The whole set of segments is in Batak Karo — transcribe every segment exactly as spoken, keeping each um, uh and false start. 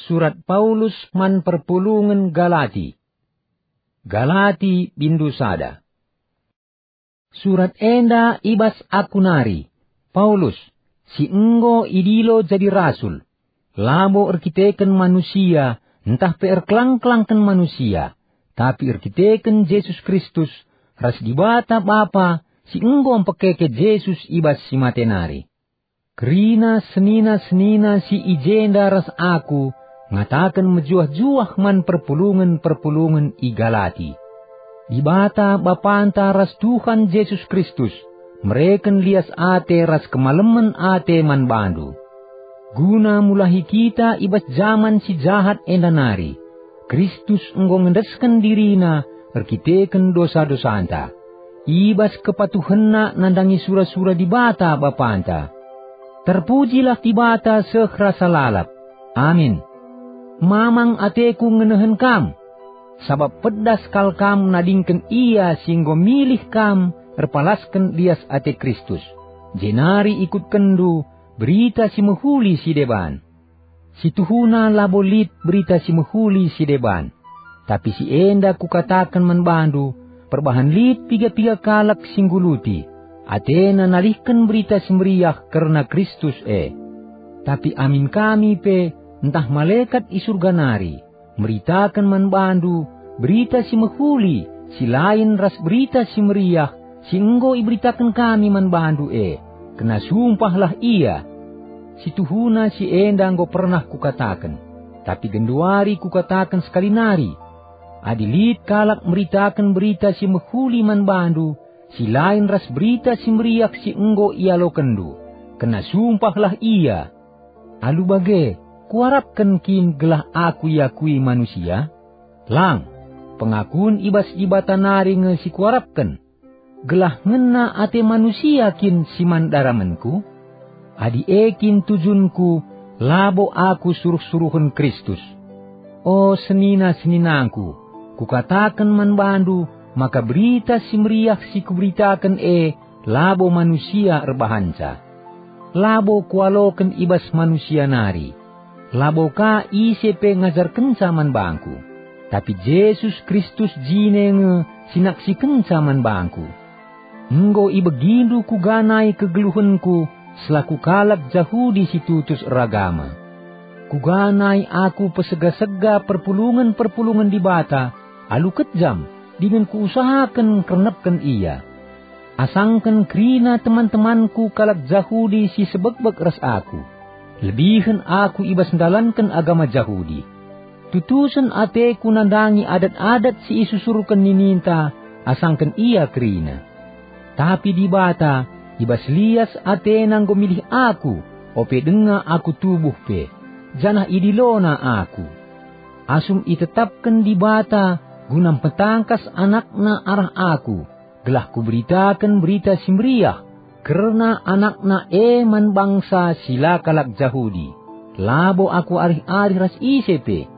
Surat Paulus man perpulungen Galati. Galati bindu sada. Surat enda i bas aku nari, Paulus, si enggo idilo jadi rasul, labo erkiteken manusia ntah pe erkelang-kelangken manusia, tapi erkiteken Jesus Kristus ras Dibata Bapa si enggo mpekeke Jesus i bas si mate nari. Kerina senina-senina si i jenda ras aku ngataken mejuah-juah man perpulungen-perpulungen i Galati. Dibata Bapanta ras Tuhan Jesus Kristus mereken lias ate ras kemalemen ate man bandu. Guna mulahi kita i bas jaman si jahat enda nari, Kristus enggo ngendesken diriNa erkiteken dosa-dosanta, i bas kepatuhenNa nandangi sura-sura Dibata Bapanta. Terpujilah Dibata seh rasa lalap. Amin. Mamang ateku ngenehen kam, sabap pedas kal kam nadingken Ia si enggo milih kam erpalasken lias ate Kristus, jenari ikutkenndu Berita Si Mehuli si deban. Si tuhuna labo lit Berita Si Mehuli si deban, tapi si enda kukataken man bandu, perbahan lit piga-piga kalak si ngguluti, atena nalihken Berita Si Meriah kerna Kristus e. Tapi amin kami pe, ntah malekat i Surga nari, meritaken man bandu Berita Si Mehuli si lain ras Berita Si Meriah si enggo iberitaken kami man bandu e, kena sumpahlah ia. Si tuhuna si enda enggo pernah kukataken, tapi genduari kukataken sekali nari: Adi lit kalak meritaken Berita Si Mehuli man bandu si lain ras Berita Si Meriah si enggo ialokenndu, kena sumpahlah ia. Alu bage, kuarapken kin gelah aku iakui manusia? Lang, pengakun i bas Dibata nari nge si kuarapken. Gelah ngena ate manusia kin si man daramenku? Adi e kin tujunku, labo aku suruh-suruhen Kristus. O senina-seninangku, kukataken man bandu maka Berita Si Meriah si kuberitaken e labo manusia erbahanca. Labo kualoken i bas manusia nari. Labo ka ise pe ngajarkenca man bangku, tapi Jesus Kristus jine nge si naksikenca man bangku. Enggo ibegindu kuga nai kegeluhenku selaku kalak Jahudi si tutus eragama. Kuga nai aku pesega-sega perpulungen-perpulungen Dibata alu kejam dingen kuusahaken ngkernepken ia. Asangken kerina teman-temanku kalak Jahudi si sebekbek ras aku, lebihen aku i bas ndalanken agama Jahudi. Tutusen ateku nandangi adat-adat si isusurken nininta asangken ia kerina. Tapi Dibata, i bas lias ateNa enggo milih aku, ope denga aku tubuh pe, janah idiloNa aku. Asum itetapken Dibata guna mpetangkas AnakNa arah aku, gelah kuberitaken Berita Si Meriah kerna AnakNa e man bangsa si la kalak Jahudi. Labo aku arih-arih ras ise pe.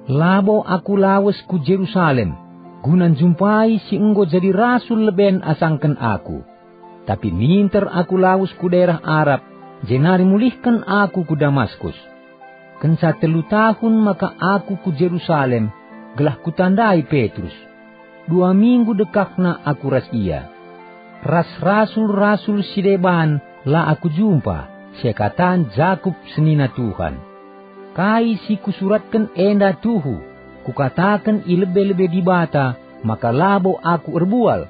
Labo aku lawes ku Jerusalem guna njumpai si enggo jadi rasul leben asangken aku. Tapi minter aku lawes ku daerah Arab, jenari mulihken aku ku Damaskus. Kenca telu tahun maka aku ku Jerusalem, gelah kutandai Petrus. Dua minggu dekahna aku ras ia. Ras rasul-rasul si deban la aku jumpa, seakatan Jakup senina Tuhan. Kai si kusuratken enda tuhu, kukataken i lebe-lebe Dibata maka labo aku erbual.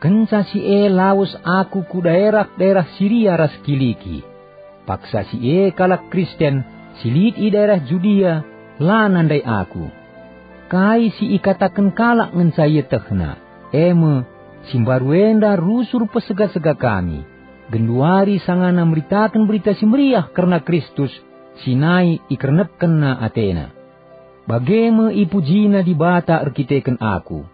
Kenca si e lawes aku ku daerah-daerah Siria ras Kiliki. Paksa si e kalak Kristen si lit i daerah Judia la nandai aku. Kai si ikataken kalak ngenca ietehna, e me, si mbaru enda rusur pesega-sega kami, genduari sangana meritaken Berita Si Meriah kerna Kristus si nai ikernepkenna atena. Bage me ipujina Dibata erkiteken aku,